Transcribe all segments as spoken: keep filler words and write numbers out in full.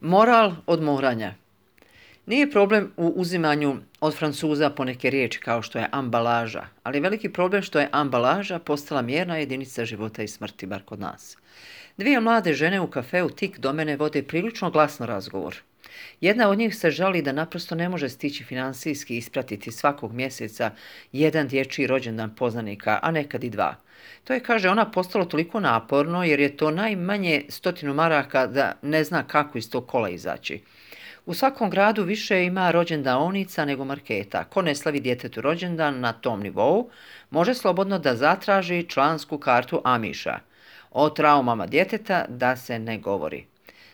Moral od moranja. Nije problem u uzimanju od Francuza poneke riječi kao što je ambalaža, ali je veliki problem što je ambalaža postala mjerna jedinica života i smrti, bar kod nas. Dvije mlade žene u kafeu tik do mene vode prilično glasno razgovor. Jedna od njih se žali da naprosto ne može stići financijski ispratiti svakog mjeseca jedan dječji rođendan poznanika, a nekad i dva. To je, kaže ona, postalo toliko naporno jer je to najmanje stotinu maraka da ne zna kako iz tog kola izaći. U svakom gradu više ima rođendaonica nego marketa. Ko ne slavi djetetu rođendan na tom nivou, može slobodno da zatraži člansku kartu Amiša. O traumama djeteta da se ne govori.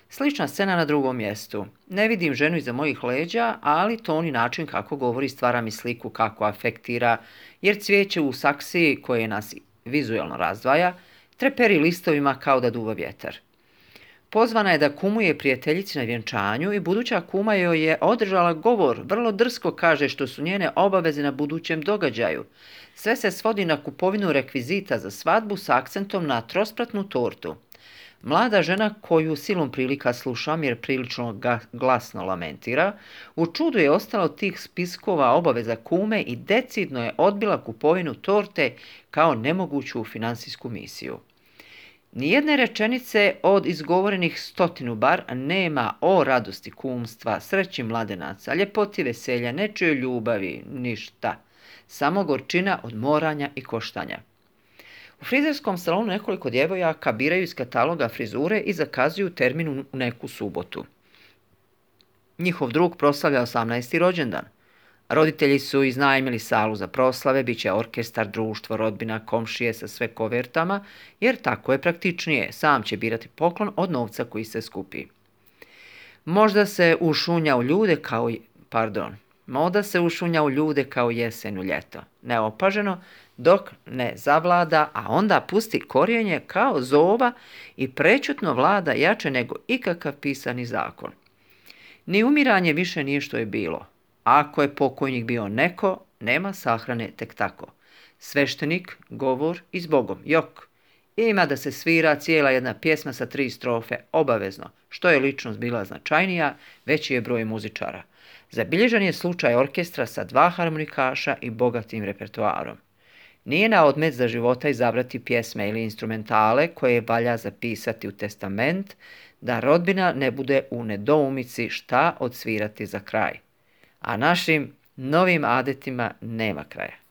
Slična scena na drugom mjestu. Ne vidim ženu iza mojih leđa, ali ton i način kako govori stvara mi sliku kako afektira, jer cvijeće u saksiji koje nas vizualno razdvaja, treperi listovima kao da duva vjetar. Pozvana je da kumuje prijateljici na vjenčanju i buduća kuma joj je održala govor, vrlo drsko kaže što su njene obaveze na budućem događaju. Sve se svodi na kupovinu rekvizita za svadbu s akcentom na trospratnu tortu. Mlada žena koju silom prilika slušam jer prilično glasno lamentira, u čudu je ostala od tih spiskova obaveza kume i decidno je odbila kupovinu torte kao nemoguću financijsku misiju. Nijedne rečenice od izgovorenih stotinu bar nema o radosti kumstva, sreći mladenaca, ljepoti veselja, nečijoj ljubavi, ništa. Samo gorčina od moranja i koštanja. U frizerskom salonu nekoliko djevojaka biraju iz kataloga frizure i zakazuju termin u neku subotu. Njihov drug proslavlja osamnaesti rođendan. Roditelji su iznajmili salu za proslave, bit će orkestar, društvo, rodbina, komšije sa sve kovertama, jer tako je praktičnije, sam će birati poklon od novca koji se skupi. Možda se ušunja u ljude kao, pardon, moda se ušunja u ljude kao jesen u ljeto, neopaženo, dok ne zavlada, a onda pusti korijenje kao zova i prečutno vlada jače nego ikakav pisani zakon. Ni umiranje više nije što je bilo. Ako je pokojnik bio neko, nema sahrane tek tako. Sveštenik, govor i s Bogom, jok. Ima da se svira cijela jedna pjesma sa tri strofe, obavezno. Što je ličnost bila značajnija, veći je broj muzičara. Zabilježen je slučaj orkestra sa dva harmonikaša i bogatim repertoarom. Nije na odmet za života izabrati pjesme ili instrumentale koje valja zapisati u testament, da rodbina ne bude u nedoumici šta odsvirati za kraj. A našim novim adetima nema kraja.